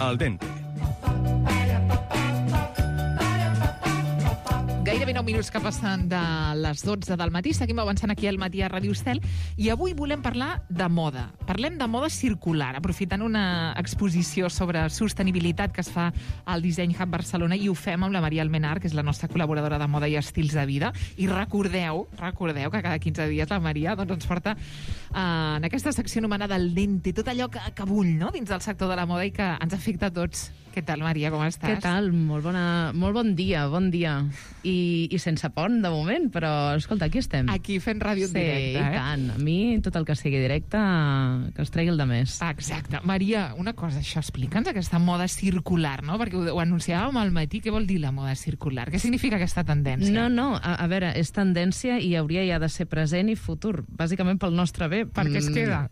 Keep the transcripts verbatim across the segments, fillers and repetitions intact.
Al dente. Gairebé nou minuts que passen de les dotze del matí. Seguim avançant aquí al matí a Ràdio Estel i avui volem parlar de moda. Parlem de moda circular, aprofitant una exposició sobre sostenibilitat que es fa al Design Hub Barcelona, i ho fem amb la Maria Almenar, que és la nostra col·laboradora de moda i estils de vida. I recordeu, recordeu que cada quinze dies la Maria doncs, ens porta eh, en aquesta secció anomenada El Dente, tot allò que, que bull, no?, dins del sector de la moda i que ens afecta a tots. Què tal, Maria, com estàs? Què tal? Molt, bona, molt bon dia, bon dia. I, I sense pont, de moment, però, escolta, aquí estem. Aquí fent ràdio en sí, directe, eh? Sí, tant. A mi, tot el que sigui directe, que es tregui el de més. Exacte. Maria, una cosa, això, explica'ns aquesta moda circular, no? Perquè ho, ho anunciàvem al matí. Què vol dir la moda circular? Què significa aquesta tendència? No, no, a, a veure, és tendència i hauria ja de ser present i futur, bàsicament pel nostre bé. Per què es queda?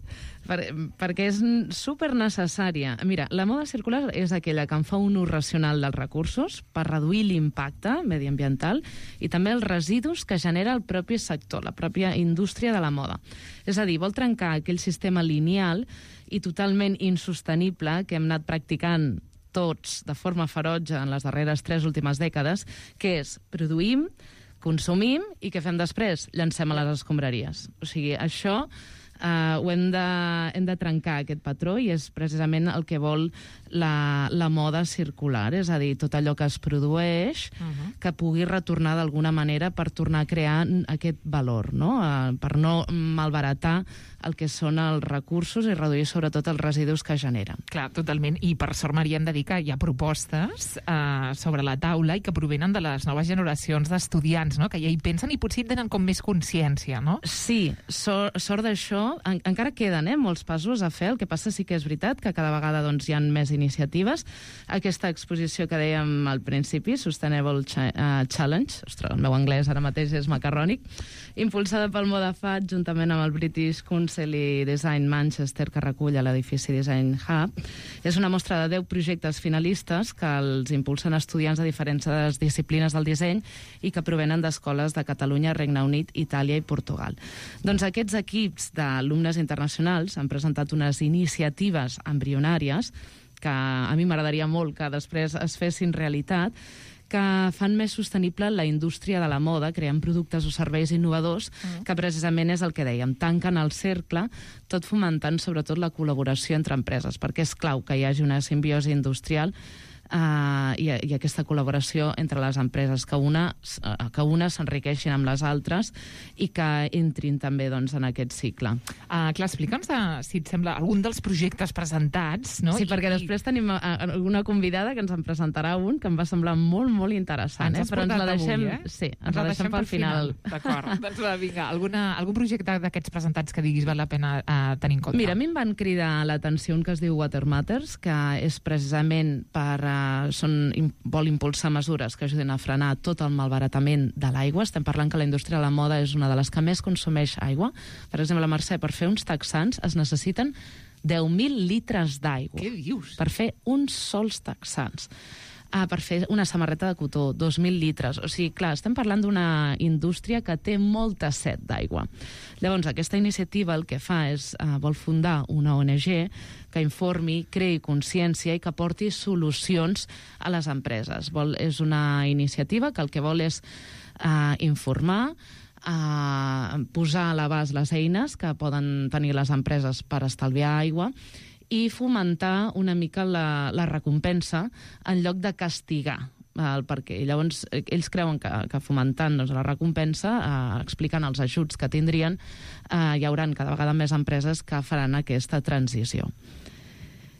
Per, perquè és super necessària. Mira, la moda circular és aquella que en fa un ús racional dels recursos per reduir l'impacte mediambiental i també els residus que genera el propi sector, la pròpia indústria de la moda. És a dir, vol trencar aquell sistema lineal i totalment insostenible que hem anat practicant tots de forma ferotge en les darreres tres últimes dècades, que és produïm, consumim i què fem després? Llancem a les escombraries. O sigui, això... Uh, ho hem de, hem de trencar, aquest patró, i és precisament el que vol la, la moda circular, és a dir, tot allò que es produeix uh-huh. que pugui retornar d'alguna manera per tornar a crear aquest valor, no? Uh, per no malbaratar el que són els recursos i reduir sobretot els residus que generen. Clar, totalment, i per sort, Maria, hem de dir que hi ha propostes uh, sobre la taula i que provenen de les noves generacions d'estudiants, no?, que ja hi pensen i potser tenen com més consciència, no? Sí, sort, sort d'això. En, encara queden eh, molts passos a fer, el que passa sí que és veritat que cada vegada doncs, hi ha més iniciatives. Aquesta exposició que dèiem al principi, Sustainable Ch uh, Challenge, ostres, el meu anglès ara mateix és macarrònic, impulsada pel Modafat juntament amb el British Council i Design Manchester, que recull a l'edifici Design Hub, és una mostra de deu projectes finalistes que els impulsen estudiants de diferents disciplines del disseny i que provenen d'escoles de Catalunya, Regne Unit, Itàlia i Portugal. Doncs aquests equips de alumnes internacionals han presentat unes iniciatives embrionàries que a mi m'agradaria molt que després es fessin realitat, que fan més sostenible la indústria de la moda, creant productes o serveis innovadors, mm. que precisament és el que dèiem, tanquen el cercle, tot fomentant sobretot la col·laboració entre empreses, perquè és clau que hi hagi una simbiosi industrial Uh, i, i aquesta col·laboració entre les empreses, que una, uh, que una s'enriqueixin amb les altres i que entrin també doncs, en aquest cicle. Uh, clar, explica'ns, de, si et sembla, algun dels projectes presentats, no? Sí, I, perquè i... després tenim una convidada que ens en presentarà un que em va semblar molt, molt interessant. Ens eh? Però ens la deixem, avui, eh? sí, ens, ens la deixem, deixem pel final. final. D'acord, doncs va, vinga, alguna, algun projecte d'aquests presentats que diguis val la pena uh, tenir en compte? Mira, a mi em van cridar l'atenció un que es diu Water Matters, que és precisament per... Uh, són, vol impulsar mesures que ajudin a frenar tot el malbaratament de l'aigua. Estem parlant que la indústria de la moda és una de les que més consumeix aigua. Per exemple, la Mercè, per fer uns texans es necessiten deu mil litres d'aigua. Què dius? Per fer uns sols texans. Ah, per fer una samarreta de cotó, dos mil litres. O sigui, clar, estem parlant d'una indústria que té molta set d'aigua. Llavors, aquesta iniciativa el que fa és, eh, vol fundar una O N G que informi, creï consciència i que porti solucions a les empreses. Vol, és una iniciativa que el que vol és eh, informar, eh, posar a l'abast les eines que poden tenir les empreses per estalviar aigua i fomentar una mica la, la recompensa en lloc de castigar el perquè. I llavors ells creuen que, que fomentant doncs, la recompensa, eh, explicant els ajuts que tindrien, eh, hi haurà cada vegada més empreses que faran aquesta transició.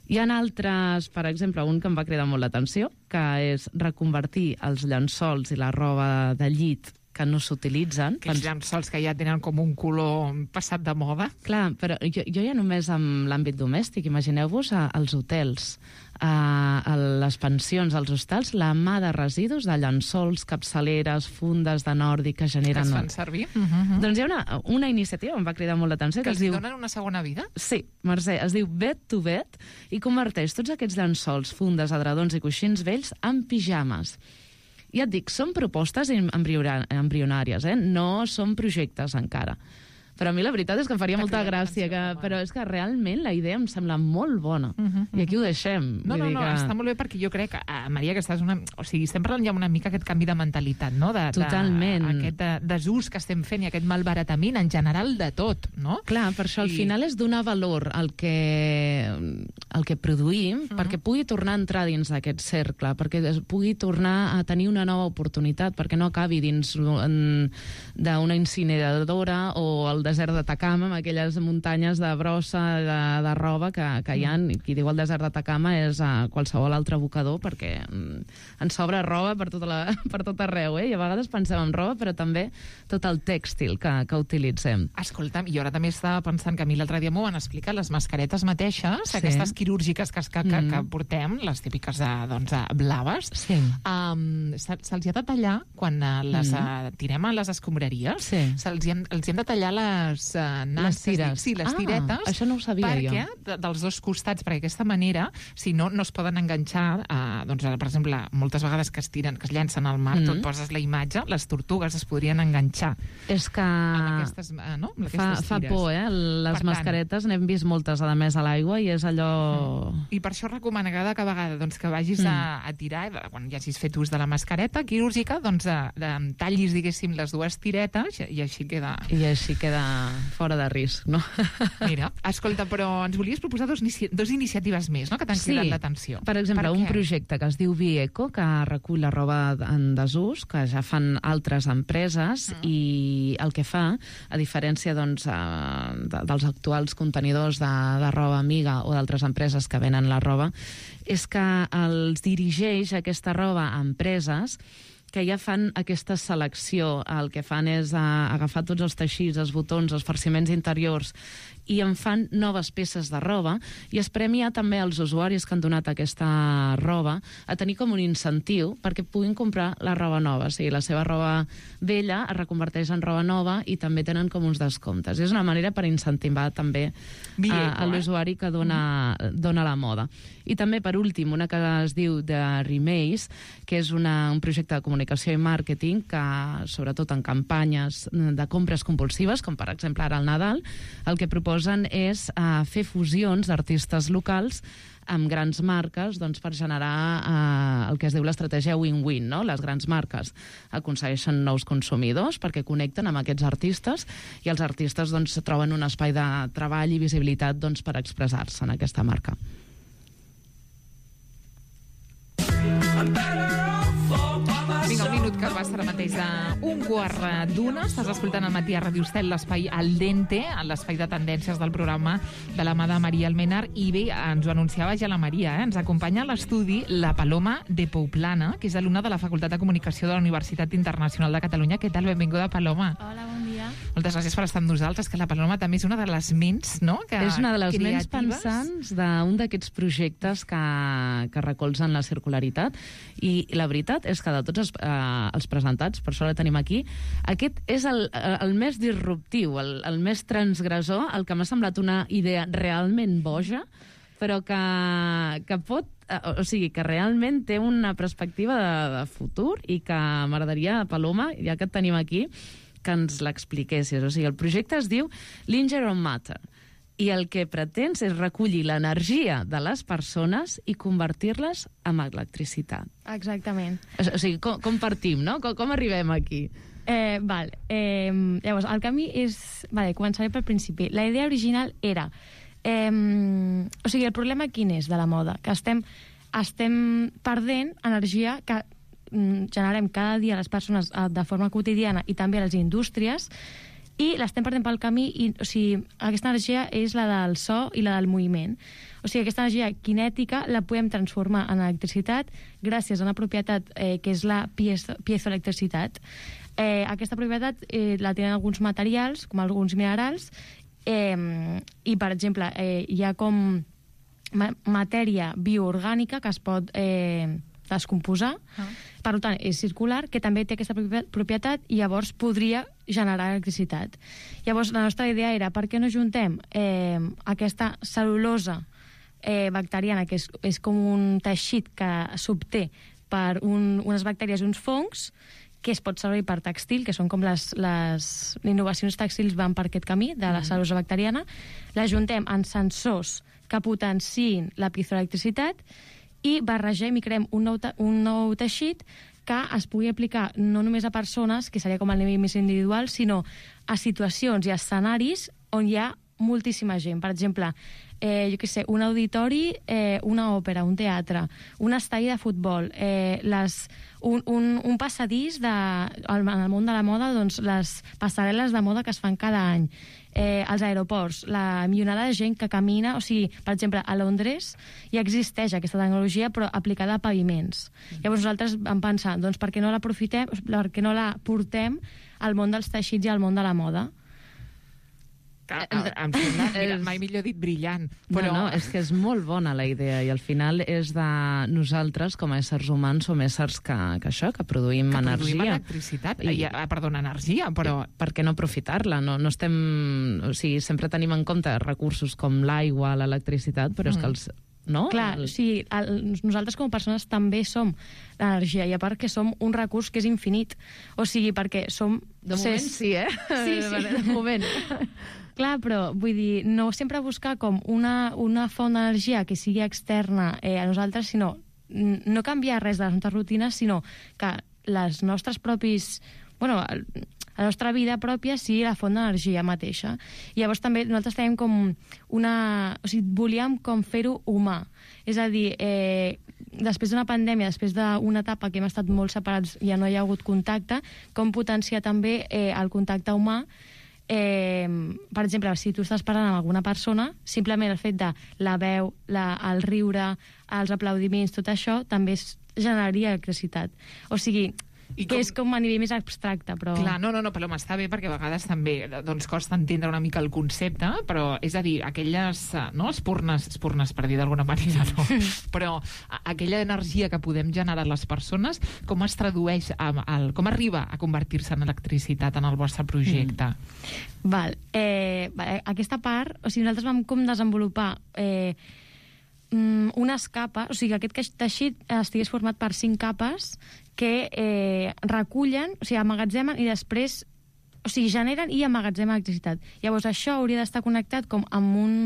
Hi ha altres, per exemple, un que em va cridar molt l'atenció, que és reconvertir els llençols i la roba de llit que no s'utilitzen. Aquests llençols que ja tenen com un color passat de moda. Clar, però jo, jo ja només amb l'àmbit domèstic, imagineu-vos als hotels, a les pensions, als hostals, la mà de residus de llençols, capçaleres, fundes de nòrdic que generen... Que es fan servir. Uh -huh. Doncs hi ha una, una iniciativa, em va cridar molt l'atenció, que, que es diu... Que els donen una segona vida? Sí, Mercè, es diu Bed to Bed i converteix tots aquests llençols, fundes, edredons i coixins vells en pijames. Ja et dic, són propostes embrionàries, eh? No són projectes encara. Però a mi la veritat és que em faria molta gràcia, que, però és que realment la idea em sembla molt bona. Uh -huh, I aquí ho deixem. No, no, no, que... està molt bé perquè jo crec, eh, Maria, que estàs una... O sigui, estem parlant ja una mica aquest canvi de mentalitat, no? De, Totalment. De, aquest de, desús que estem fent i aquest malbaratament en general de tot, no? Clar, per això al I... final és donar valor al que, al que produïm, uh -huh. perquè pugui tornar a entrar dins d'aquest cercle, perquè pugui tornar a tenir una nova oportunitat, perquè no acabi dins d'una incineradora o el desert d'Atacama, amb aquelles muntanyes de brossa, de, de roba que, que hi ha. I qui diu el desert d'Atacama és a qualsevol altre abocador, perquè mm, ens sobra roba per, tota la, per tot arreu, eh? I a vegades pensem en roba, però també tot el tèxtil que, que utilitzem. Escolta'm, jo ara també estava pensant que a mi l'altre dia m'ho van explicar, les mascaretes mateixes, sí. aquestes quirúrgiques que, que, que, que portem, les típiques de, doncs, blaves, sí. um, se'ls ha de tallar quan uh, les uh, tirem a les escombraries, sí. se'ls hem, els hem de tallar les uh, les tires. Sí, les ah, tiretes. Això no ho sabia perquè, jo. De, dels dos costats, perquè d'aquesta manera, si no, no es poden enganxar, uh, doncs, per exemple, moltes vegades que es tiren, que es llancen al mar, mm. tu et poses la imatge, les tortugues es podrien enganxar. És que amb aquestes, uh, no? amb fa, fa por, eh? Les per mascaretes, n'hem vist moltes, a més, a l'aigua, i és allò... Mm. I per això recomana cada vegada doncs, que vagis mm. a, a tirar, quan ja hagis fet ús de la mascareta quirúrgica, doncs de, de, tallis, diguéssim, les dues tiretes i així queda... I així queda fora de risc, no? Mira, escolta, però ens volies proposar dos, dos iniciatives més, no?, que t'han sí. cridat l'atenció. Per exemple, per un què? projecte que es diu Bieco, que recull la roba en desús, que ja fan altres empreses, mm. i el que fa, a diferència doncs, de, dels actuals contenidors de, de roba amiga o d'altres empreses que venen la roba, és que els dirigeix aquesta roba a empreses que ja fan aquesta selecció. El que fan és uh, agafar tots els teixits, els botons, els farciments interiors, i en fan noves peces de roba, i es premia també als usuaris que han donat aquesta roba a tenir com un incentiu perquè puguin comprar la roba nova. O sigui, la seva roba vella es reconverteix en roba nova i també tenen com uns descomptes. És una manera per incentivar també uh, a l'usuari que dona, mm. dona la moda. I també, per últim, una que es diu The Remaze, que és una, un projecte de comunicació i màrqueting que, sobretot en campanyes de compres compulsives, com per exemple ara al Nadal, el que proposen és uh, fer fusions d'artistes locals amb grans marques, doncs, per generar uh, el que es diu l'estratègia win-win, no? Les grans marques aconsegueixen nous consumidors perquè connecten amb aquests artistes, i els artistes doncs, troben un espai de treball i visibilitat doncs, per expressar-se en aquesta marca. Vinga, un minut que passa ara mateix d'un quart d'una. Estàs escoltant al matí a Ràdio Estel, l'espai Al Dente, l'espai de tendències del programa de la mà de Maria Almenar. I bé, ens ho anunciava ja la Maria, eh? Ens acompanya a l'estudi la Paloma de Pouplana, que és alumna de la Facultat de Comunicació de la Universitat Internacional de Catalunya. Què tal? Benvinguda, Paloma. Hola, bon dia. Moltes gràcies per estar amb nosaltres, que la Paloma també és una de les ments, no?, que és una de les creatives. ments pensants d'un d'aquests projectes que, que recolzen la circularitat, i la veritat és que de tots els, eh, els presentats, per això la tenim aquí, aquest és el, el més disruptiu, el, el més transgressor, el que m'ha semblat una idea realment boja, però que, que pot, o sigui, que realment té una perspectiva de, de futur, i que m'agradaria, Paloma, ja que et tenim aquí, que ens l'expliquessis. O sigui, el projecte es diu Linger on Matter, i el que pretens és recollir l'energia de les persones i convertir-les en electricitat. Exactament. O sigui, com, com partim, no? Com, com arribem aquí? Eh, val. Eh, llavors, el camí és... Vale, començaré pel principi. La idea original era... Eh, o sigui, el problema quin és de la moda? Que estem, estem perdent energia que mm, generem cada dia les persones eh, de forma quotidiana, i també a les indústries, i l'estem perdent pel camí, i, o sigui, aquesta energia és la del so i la del moviment. O sigui, aquesta energia cinètica la podem transformar en electricitat gràcies a una propietat eh, que és la piezo, piezoelectricitat. Eh, aquesta propietat eh, la tenen alguns materials, com alguns minerals, eh, i, per exemple, eh, hi ha com ma matèria bioorgànica que es pot eh, descomposar. Ah. Per tant, és circular, que també té aquesta propietat, i llavors podria generar electricitat. Llavors, la nostra idea era, per què no juntem eh, aquesta cel·lulosa eh, bacteriana, que és, és com un teixit que s'obté per un, unes bactèries i uns fongs, que es pot servir per textil, que són com les, les innovacions textils van per aquest camí de la cel·lulosa bacteriana, l'ajuntem en sensors que potenciïn la piezoelectricitat i barregem i creem un nou, un nou teixit que es pugui aplicar no només a persones, que seria com el nivell més individual, sinó a situacions i a escenaris on hi ha moltíssima gent. Per exemple, eh, jo què sé, un auditori, eh, una òpera, un teatre, un estadi de futbol, eh, les, un, un, un passadís de, en el món de la moda, doncs les passarel·les de moda que es fan cada any, eh, als aeroports, la milionada de gent que camina, o sigui, per exemple, a Londres ja existeix aquesta tecnologia, però aplicada a paviments. Llavors nosaltres vam pensar, doncs per què no l'aprofitem, per què no la portem al món dels teixits i al món de la moda? Em sembla, mira, mai millor dit brillant. Però... No, no, és que és molt bona la idea i al final és de nosaltres com a éssers humans som éssers que, que això, que produïm que energia. Que produïm electricitat, I, I, perdona, energia, però... Per què no aprofitar-la? No, no estem... O sigui, sempre tenim en compte recursos com l'aigua, l'electricitat, però mm. és que els... No? Clar, el... sí, el, nosaltres com a persones també som l'energia, i a part que som un recurs que és infinit. O sigui, perquè som... De moment ses... sí, eh? Sí, sí. De moment. Clar, però vull dir, no sempre buscar com una, una font d'energia que sigui externa eh, a nosaltres, sinó no canviar res de les nostres rutines, sinó que les nostres propis... Bueno, la nostra vida pròpia sigui la font d'energia mateixa. I llavors també nosaltres tenim com una... O sigui, volíem com fer-ho humà. És a dir, eh, després d'una pandèmia, després d'una etapa que hem estat molt separats, ja no hi ha hagut contacte, com potenciar també eh, el contacte humà. Eh, per exemple, si tu estàs parlant amb alguna persona, simplement el fet de la veu, la, el riure, els aplaudiments, tot això també es generaria electricitat. O sigui, I que com... és com a nivell més abstracte, però... Clar, no, no, no, però m'està bé perquè a vegades també doncs, costa entendre una mica el concepte, però és a dir, aquelles, no, espurnes, espurnes per dir d'alguna manera, no, però aquella energia que podem generar les persones, com es tradueix, a, a, com arriba a convertir-se en electricitat en el vostre projecte? Mm. Val. Eh, aquesta part, o sigui, nosaltres vam com desenvolupar... Eh, unes capes, o sigui, que aquest teixit estigués format per cinc capes que eh, recullen, o sigui, emmagatzemen i després, o sigui, generen i emmagatzemen electricitat. Llavors, això hauria d'estar connectat com amb un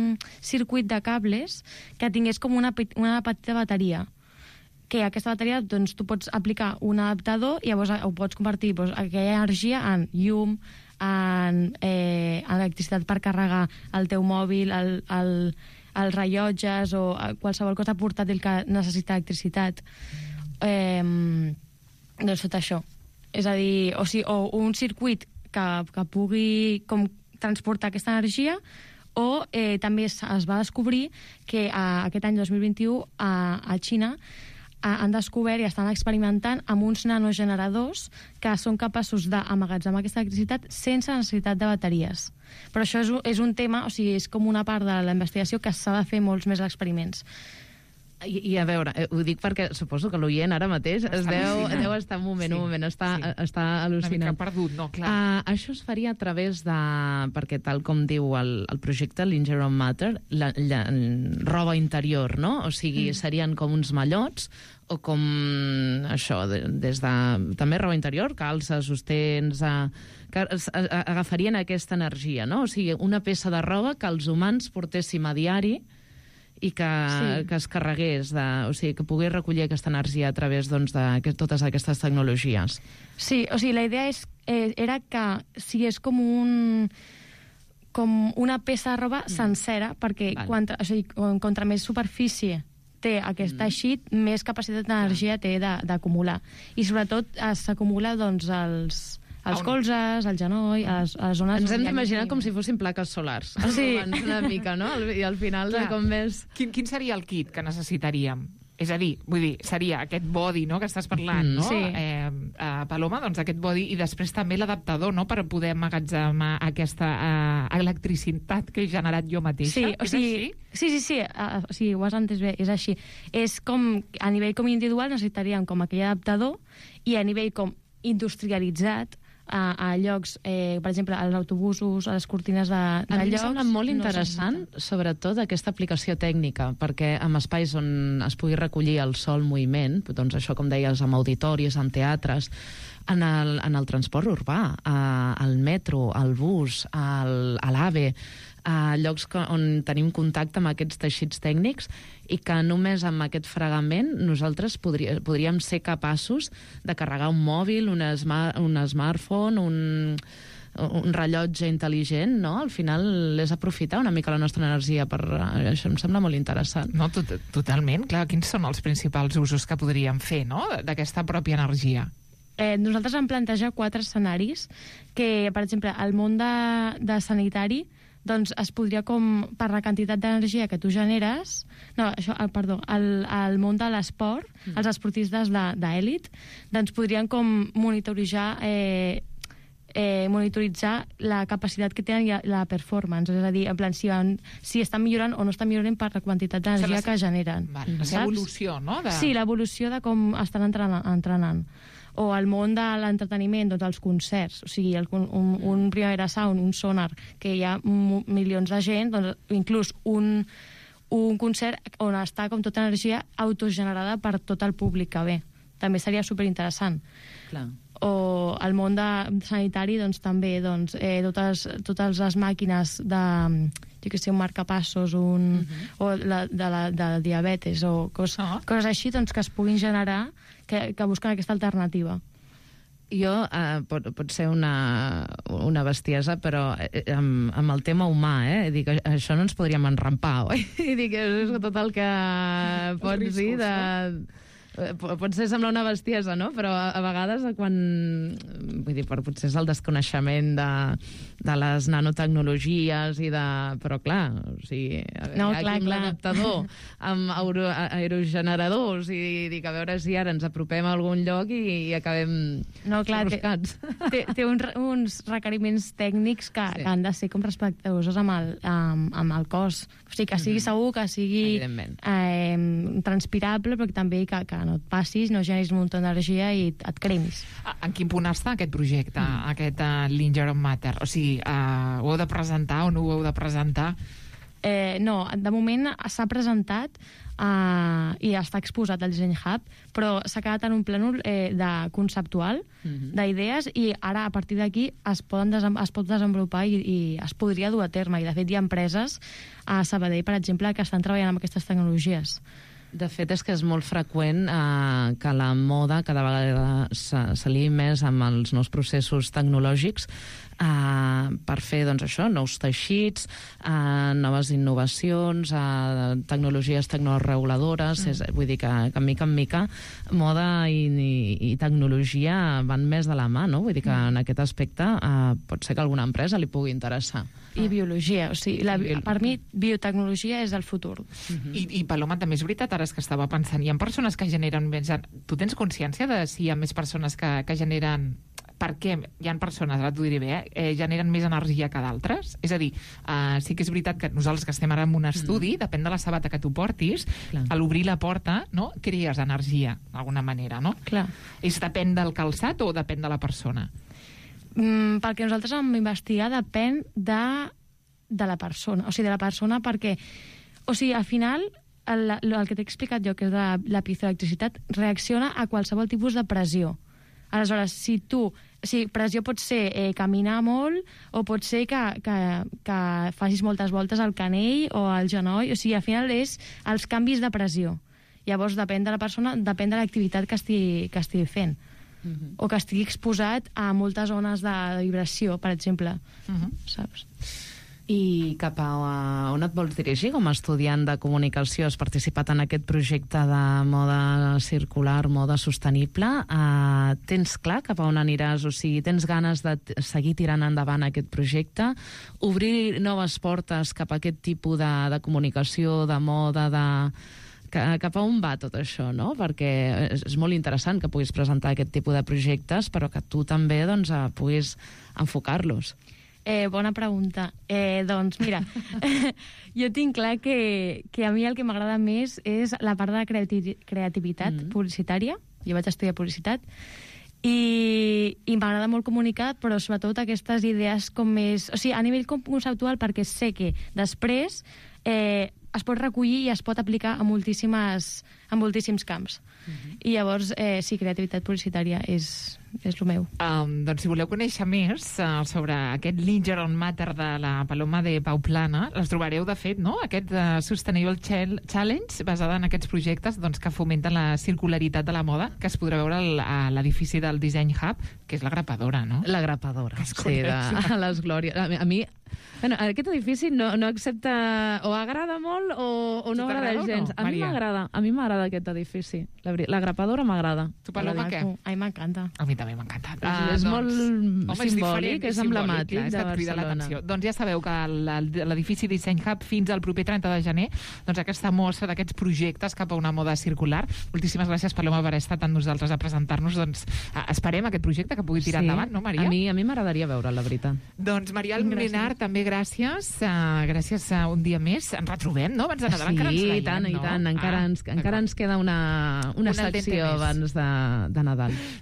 circuit de cables que tingués com una, una petita bateria, que aquesta bateria, doncs, tu pots aplicar un adaptador i llavors ho pots convertir doncs, aquella energia en llum, en, eh, en electricitat per carregar el teu mòbil, el, el els rellotges o qualsevol cosa portàtil que necessita electricitat. Eh, doncs tot això. És a dir, o, sigui, o un circuit que, que pugui com, transportar aquesta energia, o eh, també es, es va descobrir que a, aquest any dos mil vint-i-u a, a Xina han descobert i estan experimentant amb uns nanogeneradors que són capaços d'emmagatzemar aquesta electricitat sense necessitat de bateries. Però això és un, és un tema, o sigui, és com una part de la investigació que s'ha de fer molts més experiments. I, I a veure, eh, ho dic perquè suposo que l'oient ara mateix es deu, deu estar un moment, sí, un moment, està, sí. està al·lucinant. Una mica perdut, no? Clar. Uh, això es faria a través de... Perquè tal com diu el, el projecte, l'Ingeron Matter, la, la, roba interior, no? O sigui, mm. serien com uns mallots o com això, de, des de... També roba interior, calces, sostens... Uh, que a, a, agafarien aquesta energia, no? O sigui, una peça de roba que els humans portéssim a diari i que, sí. que es carregués, de, o sigui, que pogués recollir aquesta energia a través doncs, de que, totes aquestes tecnologies. Sí, o sigui, la idea és, eh, era que sigués com un com una peça de roba sencera, perquè vale. contra, o sigui, contra més superfície té aquest teixit, mm. més capacitat d'energia té d'acumular. I sobretot s'acumula doncs, els... els colzes, el genoll, a les, a les zones... Ens hem d'imaginar com si fossin plaques solars. Sí. Una mica, no? I al final Clar. com més... Quin, quin seria el kit que necessitaríem? És a dir, vull dir, seria aquest body, no?, que estàs parlant, mm. no? Sí. Eh, eh, Paloma, doncs aquest body, i després també l'adaptador, no?, per poder emmagatzemar aquesta eh, electricitat que he generat jo mateixa. Sí, o sigui, així? Sí, sí, sí, uh, o sigui, ho has entès bé, és així. És com, a nivell com individual necessitaríem com aquell adaptador, i a nivell com industrialitzat, a, a llocs, eh, per exemple, als autobusos, a les cortines de, de a mi llocs... em sembla molt interessant, no sobretot, aquesta aplicació tècnica, perquè en espais on es pugui recollir el so, el moviment, doncs això, com deies, amb auditoris, en teatres, En el, en el transport urbà, uh, al metro, al bus, al, a l'AVE, a llocs on tenim contacte amb aquests teixits tècnics i que només amb aquest fregament nosaltres podria, podríem ser capaços de carregar un mòbil, un, smart, un smartphone, un, un rellotge intel·ligent, no? Al final és aprofitar una mica la nostra energia per... Això em sembla molt interessant. No, tot, totalment. Clar, quins són els principals usos que podríem fer, no?, d'aquesta pròpia energia? Eh, nosaltres vam plantejar quatre escenaris que, per exemple, al món de, de sanitari doncs es podria com, per la quantitat d'energia que tu generes, no, això, perdó, al, al món de l'esport, mm. els esportistes d'èlit, doncs podrien com monitoritzar, eh, eh, monitoritzar la capacitat que tenen i la performance, és a dir, en plan, si, van, si estan millorant o no estan millorant per la quantitat d'energia que generen. Vale, la evolució, no? De... Sí, l'evolució de com estan entrenant. entrenant. O al món de l'entreteniment, doncs els concerts, o sigui, el, un, un Primavera Sound, un Sonar, que hi ha milions de gent, doncs inclús un, un concert on està com tota energia autogenerada per tot el públic que ve. També seria superinteressant. Clar. O al món de sanitari, doncs també, doncs, eh, totes, totes les màquines de, jo que sé, un marcapassos, un, uh-huh. o la, de, la, de diabetes, o cos, uh-huh. coses així, doncs, que es puguin generar, que, que busquen aquesta alternativa. Jo, eh, pot, pot ser una, una bestiesa, però eh, amb, amb el tema humà, eh? Dic, això no ens podríem enrampar, oi? I dic, és tot el que pots dir de... Potser sembla una bestiesa, no? Però a, a vegades quan... Vull dir, potser és el desconeixement de, de les nanotecnologies i de... Però clar, o sigui, no, hi ha clar, aquí un clar. adaptador amb aero, aerogeneradors i dic, a veure si ara ens apropem a algun lloc i, i acabem no, clar, buscats. Té, té, té un, uns requeriments tècnics que, sí. que han de ser com respectuosos amb el, amb, amb el cos. O sigui, que sigui mm-hmm. segur, que sigui eh, transpirable, però també que, que no et passis, no generis un munt d'energia i et cremis. En quin punt està aquest projecte, mm. aquest uh, Linger on Matter? O sigui, uh, ho heu de presentar o no ho heu de presentar? Eh, no, de moment s'ha presentat uh, i està exposat al Disseny Hub, però s'ha quedat en un plànol eh, de conceptual, mm-hmm. d'idees, i ara, a partir d'aquí, es, poden desem es pot desenvolupar i, i es podria dur a terme. I, de fet, hi ha empreses a Sabadell, per exemple, que estan treballant amb aquestes tecnologies. De fet, és que és molt freqüent eh, que la moda cada vegada s'aliï més amb els nous processos tecnològics eh, per fer, doncs, això, nous teixits, eh, noves innovacions, eh, tecnologies tecnoreguladores, mm. és, vull dir que, que mica en mica moda i, i, i tecnologia van més de la mà, no? Vull dir que mm. en aquest aspecte eh, pot ser que alguna empresa li pugui interessar. I biologia, o sigui, la, per mi biotecnologia és el futur. Uh-huh. I, I Paloma, també és veritat, ara és que estava pensant, hi ha persones que generen més... Tu tens consciència de si hi ha més persones que, que generen... Per què hi ha persones, ara t'ho diré bé, eh, generen més energia que d'altres? És a dir, eh, sí que és veritat que nosaltres que estem ara en un estudi, mm. depèn de la sabata que tu portis, clar. A l'obrir la porta, no, crees energia, d'alguna manera, no? Clar. És depèn del calçat o depèn de la persona? Mm, pel que nosaltres vam investigar, depèn de, de la persona. O sigui, de la persona perquè... O sigui, al final, el, el que t'he explicat jo, que és la, la piezoelectricitat, reacciona a qualsevol tipus de pressió. Aleshores, si tu... O sigui, pressió pot ser eh, caminar molt o pot ser que, que, que facis moltes voltes al canell o al genoll. O sigui, al final és els canvis de pressió. Llavors, depèn de la persona, depèn de l'activitat que estigui, que estigui fent. Uh-huh. O que estigui exposat a moltes zones de vibració, per exemple. Uh-huh. Saps? I cap a on et vols dirigir com a estudiant de comunicació? Has participat en aquest projecte de moda circular, moda sostenible. Uh, tens clar cap a on aniràs? O sigui, tens ganes de seguir tirant endavant aquest projecte? Obrir noves portes cap a aquest tipus de, de comunicació, de moda, de... Cap a on va tot això, no? Perquè és molt interessant que puguis presentar aquest tipus de projectes, però que tu també doncs, puguis enfocar-los. Eh, bona pregunta. Eh, doncs mira, jo tinc clar que, que a mi el que m'agrada més és la part de la creati creativitat mm. publicitària. Jo vaig estudiar publicitat i, i m'agrada molt comunicar, però sobretot aquestes idees com més... O sigui, a nivell conceptual, perquè sé que després eh, es pot recollir i es pot aplicar a moltíssimes en moltíssims camps. Uh-huh. I llavors, eh, sí, creativitat publicitària és, és el meu. Um, doncs si voleu conèixer més uh, sobre aquest Linger on Matter de la Paloma de Pau Plana, les trobareu, de fet, no? Aquest uh, Sustainable Challenge, basada en aquests projectes doncs, que fomenten la circularitat de la moda, que es podrà veure al, a l'edifici del Design Hub, que és la grapadora, no? La grapadora, sí, de, a les glòries. A mi, a mi bueno, aquest edifici no, no accepta... O agrada molt o, o no agrada gens. No, a mi m'agrada, a mi m'agrada aquest edifici. La, la grapadora m'agrada. Tu, Paloma, què? A mi m'encanta. A mi també m'encanta. Ah, és doncs, molt home, simbòlic, és, és emblemàtic de Barcelona. Doncs ja sabeu que l'edifici Design Hub fins al proper trenta de gener, doncs aquesta mostra d'aquests projectes cap a una moda circular. Moltíssimes gràcies, Paloma, per haver estat amb nosaltres a presentar-nos. Doncs esperem aquest projecte que pugui tirar sí, endavant, no, Maria? A mi, a mi m'agradaria veure, la veritat. Doncs Marial Molinar, també gràcies. Uh, gràcies a un dia més. Ens retrobem, no? Abans de Nadal sí, encara ens veiem, i tant, no? i tant. Encara, ah, ens, encara ens queda una, una, una secció abans de, de Nadal.